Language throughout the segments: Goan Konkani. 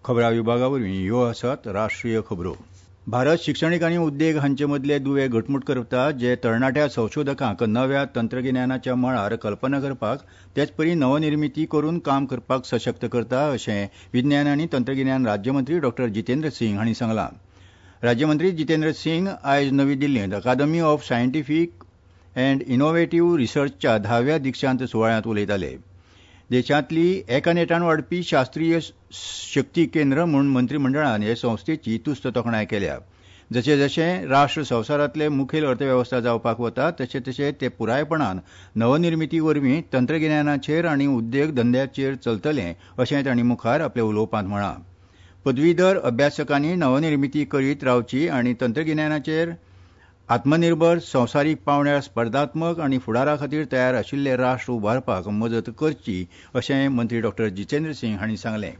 खबरां विभागा वरवीं ह्यो आसात राष्ट्रीय खबरो. भारत शिक्षणीक आनी उद्देग हांचे मदले दुवे घटमूट करता, जे तरणाट्या संशोधकांक नव्या तंत्रगिन्यानाच्या मळार कल्पना करपाक तेचपरी नवनिर्मिती करून काम करपाक सशक्त करता, अशें विज्ञान आनी तंत्रगिन्यान राज्यमंत्री डॉ जितेंद्र सिंग हांणी सांगलां. राज्यमंत्री जितेंद्र सिंग आयज नवी दिल्लींत Academy of Scientific and Innovative रिसर्चच्या धाव्या दिक्षांत सुवाळ्यांत उलयताले. देशांतली एका नेटान वाडपी शास्त्रीय शक्ती केंद्र म्हूण मंत्रीमंडळान हे संस्थेची तुस्त तोखणाय केल्या. जशें जशें राष्ट्र संवसारांतले मुखेल अर्थवेवस्था जावपाक वता तशें तशें ते पुरायपणान नवनिर्मिती वरवीं तंत्रगिन्यानाचेर आनी उद्देग धंद्याचेर चलतलें अशें तांणी मुखार आपल्या उलोवपांत म्हळां. पदवीधर अभ्यासकांनी नवनिर्मिती करीत रावची आनी तंत्रगिन्यानाचेर आत्मनिर्भर, संवसारीक पांवड्यार स्पर्धात्मक आनी फुडारा खातीर तयार आशिल्ले राष्ट्र उबारपाक मजत करची अशें मंत्री डॉ जितेंद्र सिंग हांणी सांगलें.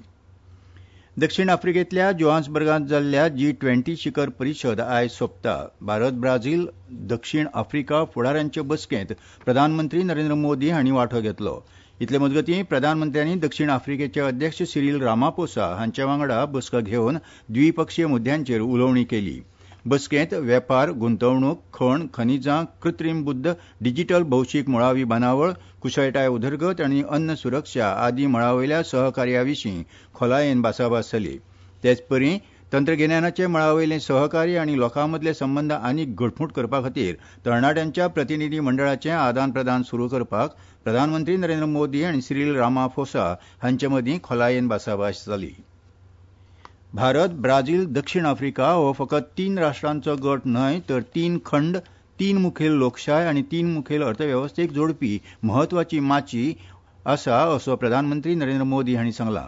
दक्षिण आफ्रिकेंतल्या जोहान्सबर्गांत जाल्ल्या जी-20 शिखर परिशद आयज सोंपता. भारत, ब्राझील, दक्षिण आफ्रिका फुडाऱ्यांचे बसकेंत प्रधानमंत्री नरेंद्र मोदी हांणी वांटो घेतलो. इतले मजगतीं प्रधानमंत्र्यांनी दक्षिण आफ्रिकेचे अध्यक्ष सिरील रामापोसा हांचे वांगडा बसका घेवन द्विपक्षीय मुद्द्यांचेर उलोवणी केली. बसकेंत वेपार, गुंतवणूक, खण, खनिजां, कृत्रीम बुद्द, डिजिटल भौशीक मुळावी बांदावळ, कुशळटाय उदरगत आनी अन्न सुरक्षा आदी मळावयल्या सहकार्या विशीं खोलायेन भासाभास जाली. तेचपरी तंत्रगिन्यानाचे मळावयलें सहकार्य आनी लोकां मदले संबंद आनीक घटमूट करपा खातीर तरणाट्यांच्या प्रतिनिधी मंडळाचें आदान प्रदान सुरू करपाक प्रधानमंत्री नरेंद्र मोदी आनी सिरील रामाफोसा हांचे मदीं खोलायेन भासाभास जाली. भारत, ब्राझील, दक्षिण आफ्रिका हो फकत तीन राष्ट्रांचो गट न्हय तर तीन खंड, तीन मुखेल लोकशाय आनी तीन मुखेल अर्थवेवस्थेक जोडपी म्हत्वाची माची आसा असो प्रधानमंत्री नरेंद्र मोदी हांणी सांगलां.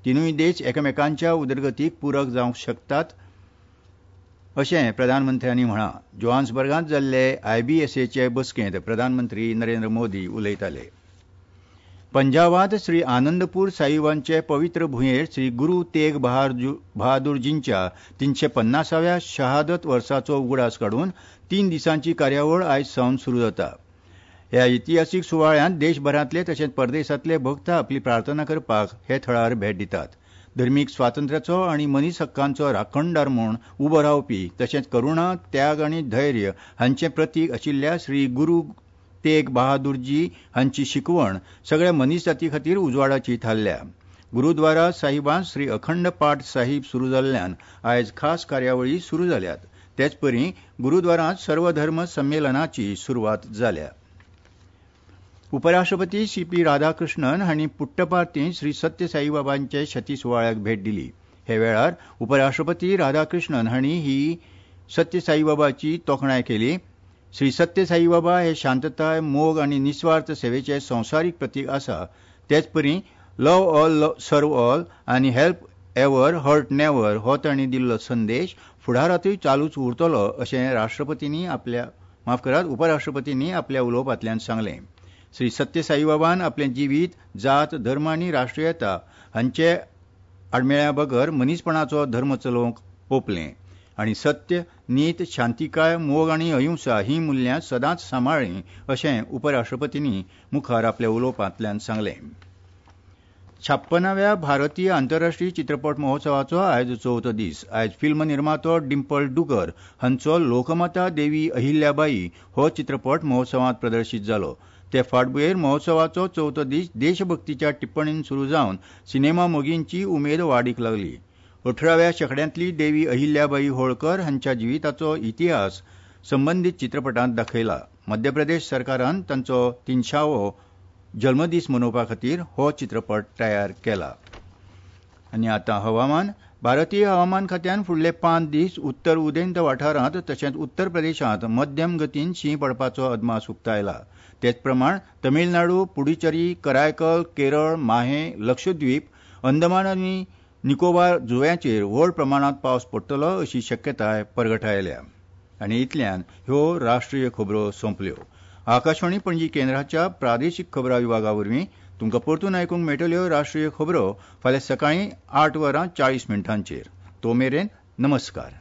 तिनूय देश एकामेकांच्या उदरगतीक पूरक जावंक शकतात अशें प्रधानमंत्र्यांनी म्हळां. जोहान्सबर्गांत जाल्ले आयबीएसएचे बसकेंत प्रधानमंत्री नरेंद्र मोदी उलयताले. पंजाबांत श्री आनंदपूर साहिबांचे पवित्र भुंयेर श्री गुरू तेग बहादूरजींच्या 350व्या शहादत वर्साचो उगडास काडून 3 दिसांची कार्यावळ आयज सावन सुरू जाता. ह्या इतिहासीक सुवाळ्यांत देशभरांतले तशेंच परदेसांतले भक्त आपली प्रार्थना करपाक हे थळार भेट दितात. धर्मीक स्वातंत्र्याचो आनी मनीस हक्कांचो राखणदार म्हूण उबो रावपी तशेंच करुणा, त्याग आनी धैर्य हांचें प्रतीक आशिल्ल्या श्री गुरू तेग बहादूरजी हांची शिकवण सगळ्या मनीसजाती खातीर उजवाडाची थारल्या. गुरुद्वारा साहिबांत श्री अखंड पाठ साहिब सुरू जाल्ल्यान आयज खास कार्यावळी सुरू जाल्यात. तेचपरी गुरुद्वारांत सर्वधर्म संमेलनाची सुरवात जाल्या. उपराष्ट्रपती सी पी राधाकृष्णन हांणी पुट्टपार्थींत श्री सत्य साईबाबांचे शती सुवाळ्याक भेट दिली. हे वेळार उपराष्ट्रपती राधाकृष्णन हांणी ही सत्य साईबाबाची तोखणाय केली. श्री सत्य साईबाबा हे शांतताय, मोग आनी निस्वार्थ सेवेचे संवसारीक प्रतीक आसा. तेचपरी लव्ह ऑल सर्व ऑल आनी हेल्प एवर हर्ट नेवर हो तांणी दिल्लो संदेश फुडारांतूय चालूच उरतलो अशें उपराष्ट्रपतींनी आपल्या उलोवपांतल्यान सांगलें. श्री सत्य साईबाबान आपलें जिवीत जात, धर्म आनी राष्ट्रीयता हांचे आडमेळ्या बगर मनीसपणाचो धर्म चलोवंक ओंपलें आनी सत्य, नीत, शांतिकाय, मोग आनी अहिंसा ही मुल्यां सदांच सांबाळ्ळीं अशें उपराष्ट्रपतींनी मुखार आपल्या उलोवपांतल्यान सांगलें. 56व्या भारतीय आंतरराष्ट्रीय चित्रपट महोत्सवाचो आयज चवथो दीस. आयज फिल्म निर्मातो डिंपल डुगर हांचो लोकमाता देवी अहिल्याबाई हो चित्रपट महोत्सवांत प्रदर्शीत जालो. ते फाटभुंयेर महोत्सवाचो चवथो दीस देशभक्तीच्या टिप्पणीन सुरू जावन सिनेमा मोगींची उमेद वाडीक लागली. 18व्या शेंकड्यांतली देवी अहिल्याबाई होळकर हांच्या जिविताचो इतिहास संबंदीत चित्रपटांत दाखयला. मध्य प्रदेश सरकारान तांचो 300वो जल्मदीस मनोवपा खातीर हो चित्रपट तयार केला. आनी आतां हवामान. भारतीय हवामान खात्यान फुडले 5 दीस उत्तर उदेंत वाठारांत तशेंच उत्तर प्रदेशांत मध्यम गतीन शीं पडपाचो अदमास उक्तायला. तेचप्रमाण तमिळनाडू, पुडुचेरी, करायकल, केरळ, माहे, लक्षद्वीप, अंदमान आनी निकोबार जुंव्यांचेर व्हड प्रमाणांत पावस पडटलो अशी शक्यताय परगटायल्या. आनी इतल्यान ह्यो राष्ट्रीय खबरो सोंपल्यो. आकाशवाणी पणजी केंद्राच्या प्रादेशीक खबरां विभागा वरवीं तुमकां परतून आयकूंक मेळटल्यो राष्ट्रीय खबरो फाल्यां सकाळीं 8:40. तो मेरेन नमस्कार.